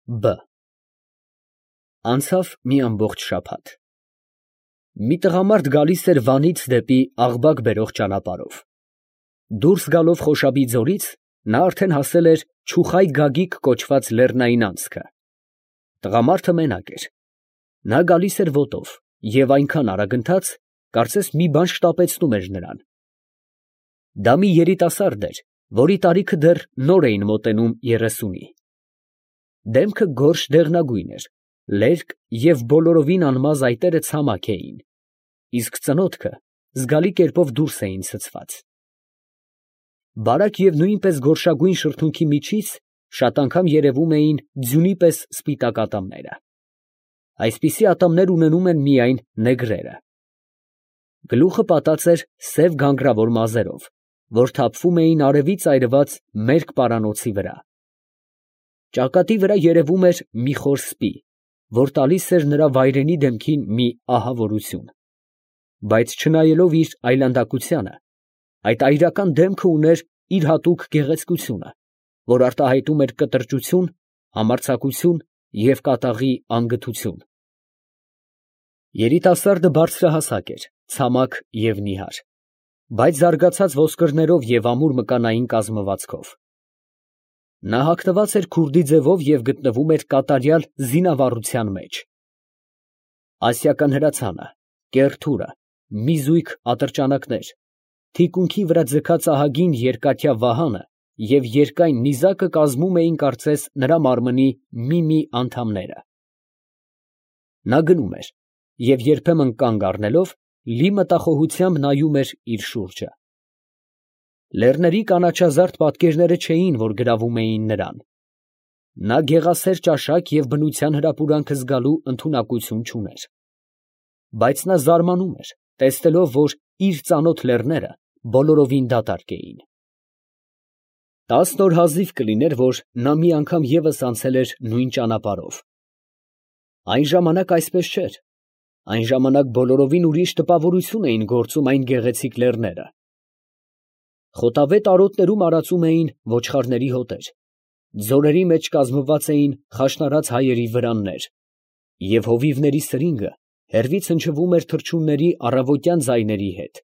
Բ Անցավ մի ամբողջ շաբաթ։ Մի տղամարդ գալիս էր Վանից դեպի Աղբակ բերող ճանապարհով։ Դուրս գալով Խոշաբի ձորից, նա արդեն հասել էր Չուխայ Գագիկ կոչված լեռնային անցքը։ Տղամարդը մենակ էր։ Նա գալիս էր ոտով և այնքան արագընթաց, կարծես մի բան շտապեցնում էր նրան։ Դա մի երիտասարդ էր, որի տարիքը դեռ նոր էին մոտենում 30-ի։ Դեմքը գորշ դեղնագույն էր, լերկ և բոլորովին անմազ այտերը ցամաք էին, իսկ ծնոտքը զգալի կերպով դուրս էին ցցված։ Բարակ և նույնպես գորշագույն շրթունքի միջից շատ անգամ երևում էին ձյունի պես սպիտակ ատամները։ Այսպիսի ատամներ ունենում են միայն նեգրերը։ Գլուխը պատած էր սև գանգրավոր մազերով, որ թափվում էին արևից այրված մերկ պարանոցի վրա։ Ճակատի վրա երևում էր մի խոր սպի, որ տալիս էր նրա վայրենի դեմքին մի ահավորություն, բայց չնայելով իր այլանդակությանը, այդ այրական դեմքը ուներ իր հատուկ գեղեցկությունը, որ արտահայտում էր կտրճություն, համարձակություն և կատաղի անգթություն։ Երիտասարդը բարձրահասակ էր, ցամաք և նիհար, բայց զարգացած ոսկրներով և ամուր մկանային կազմվածքով։ Նա հագնված էր քուրդի ձևով և գտնվում էր կատարյալ զինավառության մեջ։ Ասիական հրացանը, կեռ թուրը, մի զույգ ատրճանակներ, թիկունքի վրա ձգած ահագին երկաթյա վահանը և երկայն նիզակը կազմում էին կարծես նրա մարմնի մի անդամները։ Նա գնում էր և երբեմն կանգ առնելով, լի մտախոհությամբ նայում էր իր շուրջը։ Լեռների կանաչազարդ պատկերները չէին, որ գրավում էին նրան։ Նա գեղասեր ճաշակ և բնության հրապուրանքը զգալու ընդունակություն չուներ։ Բայց նա զարմանում էր, տեսնելով, որ իր ծանոթ լեռները բոլորովին դատարկ էին։ 10 օր հազիվ կլիներ, որ նա մի անգամ ևս անցել էր նույն ճանապարհով։ Այն ժամանակ այսպես չէր, այն ժամանակ բոլորովին ուրիշ տպավորություն էին գործում այն գեղեցիկ լեռները։ Խոտավետ արոտներում արածում էին ոչխարների հոտեր, ձորերի մեջ կազմված էին խաշնարած հայերի վրաններ, և հովիվների սրինգը հեռվից հնչվում էր թռչունների առավոտյան ձայների հետ։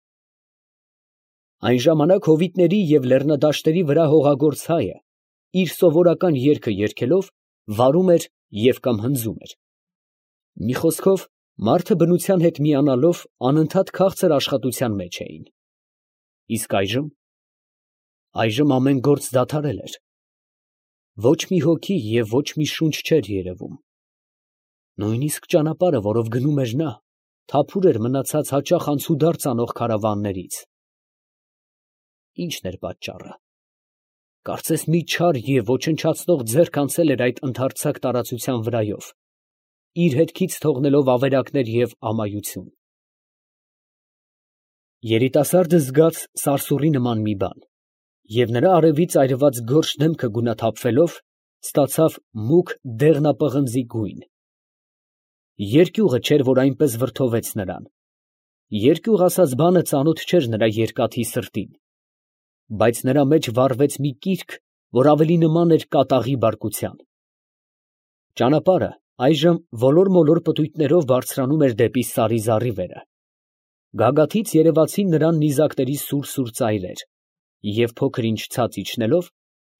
Այն ժամանակ հովիտների և լեռնադաշտերի վրա հողագործ հայը, իր սովորական երգը երգելով, վարում էր և կամ հնձում էր։ Մի խոսքով, մարդը բնության հետ միանալով, անընդհատ քաղցր աշխատության մեջ էին։ Իսկ այժմ ամեն գործ դադարել էր։ Ոչ մի հոգի և ոչ մի շունչ չէր երևում։ Նույնիսկ ճանապարհը, որով գնում էր նա, թափուր էր մնացած հաճախ անցուդարձ անող քարավաններից։ Ի՞նչն էր պատճառը։ Կարծես մի չար և ոչնչացնող ձեռք անցել էր այդ ընդարձակ տարածության վրայով, իր հետքից թողնելով ավերակներ և ամայություն։ Երիտասարդը զգաց սարսուռի նման մի բան, և նրա արևից այրված գորշ դեմքը գունաթափվելով, ստացավ մուգ դեղնապղնձի գույն։ Երկյուղը չէր, որ այնպես վրդովեց նրան։ Երկյուղ ասած բանը ծանոթ չէր նրա երկաթի սրտին, բայց նրա մեջ վառվեց մի կիրք, որ ավելի նման էր կատաղի բարկության։ Ճանապարհը այժմ ոլոր֊մոլոր պտույտներով բարձրանում էր դեպի սարի զառիվերը։ Գագաթից երևացին նրան նիզակների սուր ծայրեր, և փոքր ինչ ցած իջնելով,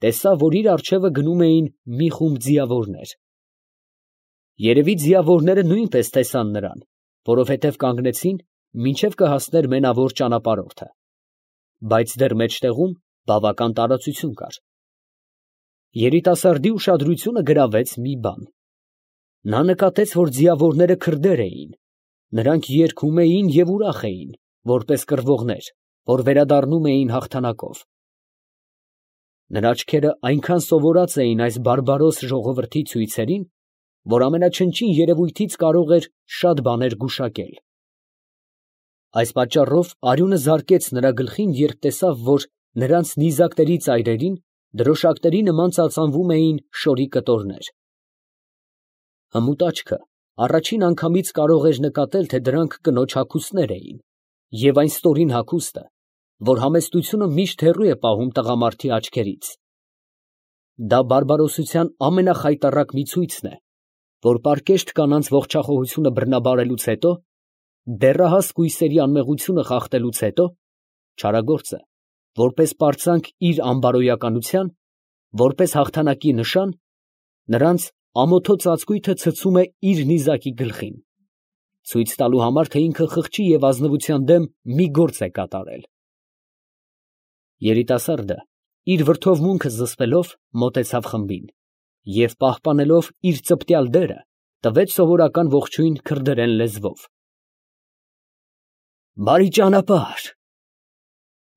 տեսավ, որ իր առջևը գնում էին մի խումբ ձիավորներ։ Երևի ձիավորները նույնպես տեսան նրան, որովհետև կանգնեցին, մինչև կհասներ մենավոր ճանապարհորդը, բայց դեռ մեջտեղում բավական տարածություն կար։ Երիտասարդի ուշադրությունը գրավեց մի բան։ Նա նկատեց, որ ձիավորները քրդեր էին, նրանք երգում էին և ուրախ էին, որպես կռվողներ, որ վերադառնում էին հաղթանակով։ Նրա աչքերը այնքան սովորած էին այս բարբարոս ժողովրդի ցույցերին, որ ամենաչնչին երևույթից կարող էր շատ բաներ գուշակել։ Այս պատճառով արյունը զարկեց նրա գլխին, երբ տեսավ, որ նրանց նիզակների ծայրերին դրոշակների նման ծածանվում էին շորի կտորներ։ Հմուտ աչքը առաջին անգամից կարող էր նկատել, թե դրանք կնոջ հագուստներ էին, և այն ստորին հագուստը, որ համեստությունը միշտ հեռու է պահում տղամարդի աչքերից։ Դա բարբարոսության ամենախայտառակ մի ցույցն է, որ պարկեշտ կանանց ողջախոհությունը բռնաբարելուց հետո, դեռահաս կույսերի անմեղությունը խախտելուց հետո, չարագործը, որպես պարծանք իր անբարոյականության, որպես հաղթանակի նշան, նրանց ամոթո ծածկույթը ցցում է իր նիզակի գլխին, ցույց տալու համար, թե ինքը խղճի և ազնվության դեմ մի գործ է կատարել։ Երիտասարդը իր վրդովմունքը զսպելով մոտեցավ խմբին և պահպանելով իր ծպտյալ դերը, տվեց սովորական ողջույն քրդերեն լեզվով. «Բարի ճանապարհ»։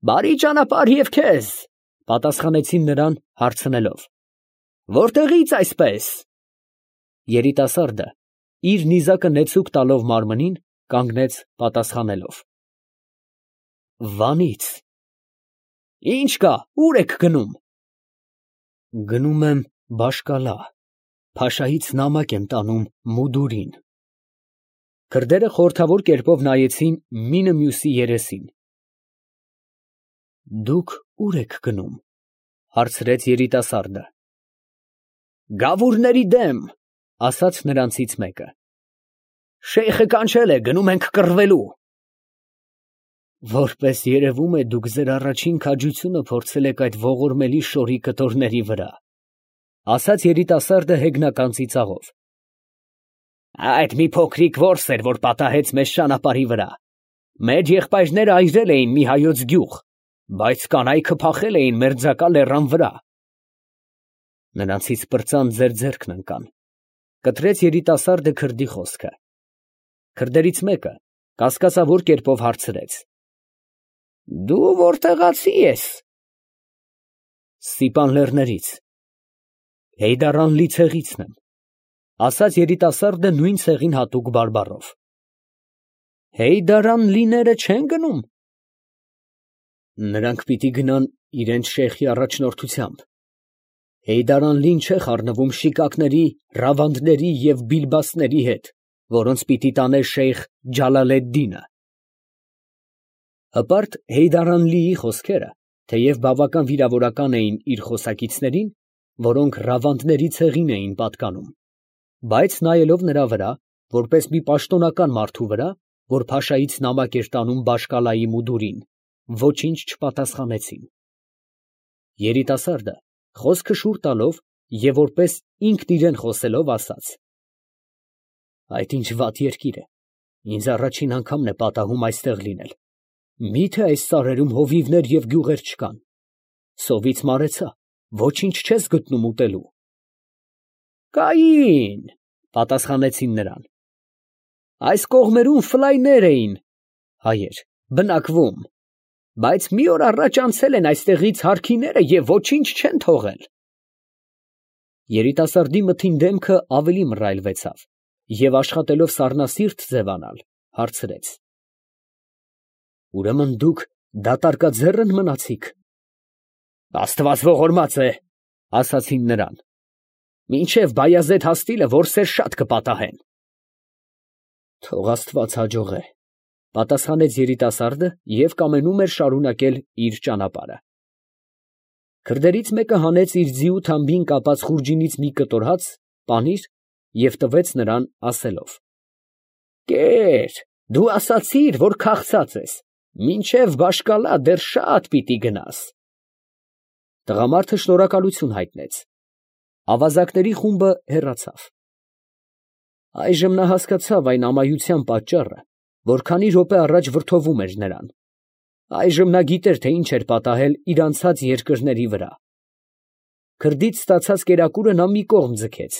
«Բարի ճանապարհ և քեզ», պատասխանեցին նրան հարցնելով. «Որտեղից այսպես»։ Երիտասարդը իր նիզակը նեցուկ տալով մարմնին, կանգնեց պատասխանելով. «Վանից»։ «Ի՞նչ կա, ո՞ւր եք գնում»։ «Գնում եմ Բաշ֊Կալա, փաշայից նամակ եմ տանում Մուդուրին»։ Քրդերը խորհրդավոր կերպով նայեցին մինը մյուսի երեսին։ «Դուք ո՞ւր եք գնում», հարցրեց երիտասարդը։ «Գավուրների դեմ», ասաց նրանցից մեկը։ «Շեյխը կանչել է, գնում ենք կռվելու»։ «Որպես երևում է, դուք ձեր առաջին քաջությունը փորձել եք այդ ողորմելի շորի կտորների վրա», ասաց երիտասարդը հեգնական ծիծաղով։ «Այդ մի փոքրիկ որս էր, որ պատահեց մեզ ճանապարհի վրա։ Մեր եղբայրները այրել էին մի հայոց գյուղ, բայց կանայքը փախել էին մերձակա լեռան վրա»։ «Նրանցից պրծան ձեր ձեռքն ընկան», կտրեց երիտասարդը քրդի խոսքը։ Քրդերից մեկը կասկածավոր կերպով հարցրեց. «Դու որտեղացի ես»։ «Սիպան լեռներից, Հեյդարանլի ցեղիցն եմ», ասաց երիտասարդը նույն ցեղին հատուկ բարբառով։ «Հեյդարանլիները չեն գնում»։ «Նրանք պիտի գնան իրենց շեյխի առաջնորդությամբ։ Հեյդարանլին չէ խառնվում շիկակների, ռավանդների և բիլբաստների հետ, որոնց պիտի տանե շեյխ Ջալալեդդինը»։ Հպարտ Հեյդարանլիի խոսքերը, թեև բավական վիրավորական էին իր խոսակիցներին, որոնք ռավանդների ցեղին էին պատկանում, բայց նայելով նրա վրա, որպես մի պաշտոնական մարդու վրա, որ փաշայից նամակ էր տանում Բաշ֊Կալայի մուդուրին, ոչինչ չպատասխանեցին։ Երիտասարդը խոսքը շուռ տալով և որպես ինքն իրան խոսելով ասաց. «Այդ ինչ վատ երկիր է, ինձ առաջին անգամն է պատահում այստեղ լինել։ Մի՞թե այս սարերում հովիվներ և գյուղեր չկան։ Սովից մարեցա, ոչինչ չես գտնում ուտելու»։ «Կային», պատասխանեցին նրան։ «Այս կողմերում ֆլայներ էին (հայեր) բնակվում, բայց մի օր առաջ անցել են այստեղից հարքիները և ոչինչ չեն թողել»։ Երիտասարդի մթին դեմքը ավելի մռայլվեցավ և աշխատելով սառնասիրտ ձևանալ, հարցրեց. «Ուրեմն դուք դատարկաձե՞ռն մնացիք»։ «Աստված ողորմած է», ասացին նրան, «մինչև Բայազեդ հասնիլը որսեր շատ կպատահեն»։ «Թող Աստված հաջողե», պատասխանեց երիտասարդը և կամենում էր շարունակել իր ճանապարհը։ Քրդերից մեկը հանեց իր ձիու թամբին կապած խուրջինից մի կտոր հաց, պանիր և տվեց նրան, ասելով. «Կեր, դու ասացիր, որ քաղցած ես, մինչև Բաշ֊Կալա դեռ շատ պիտի գնաս»։ Տղամարդը շնորհակալություն հայտնեց։ Ավազակների խումբը հեռացավ։ Այժմ նա հասկացավ այն ամայության պատճառը, որ քանի րոպե առաջ վրդովում էր նրան։ Այժմ նա գիտեր, թե ինչ էր պատահել իր անցած երկրների վրա։ Քրդից ստացած կերակուրը նա մի կողմ ձգեց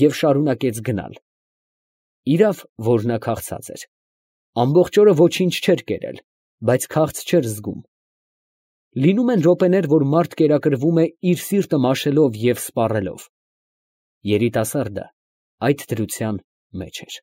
և շարունակեց գնալ։ Իրավ, որ նա քաղցած էր։ Ամբողջ օրը ոչինչ չէր կերել, բայց քաղց չէր զգում։ Լինում են րոպեներ, որ մարդ կերակրվում է իր սիրտը մաշելով և սպառելով։ Երիտասարդը այդ դրության մեջ էր։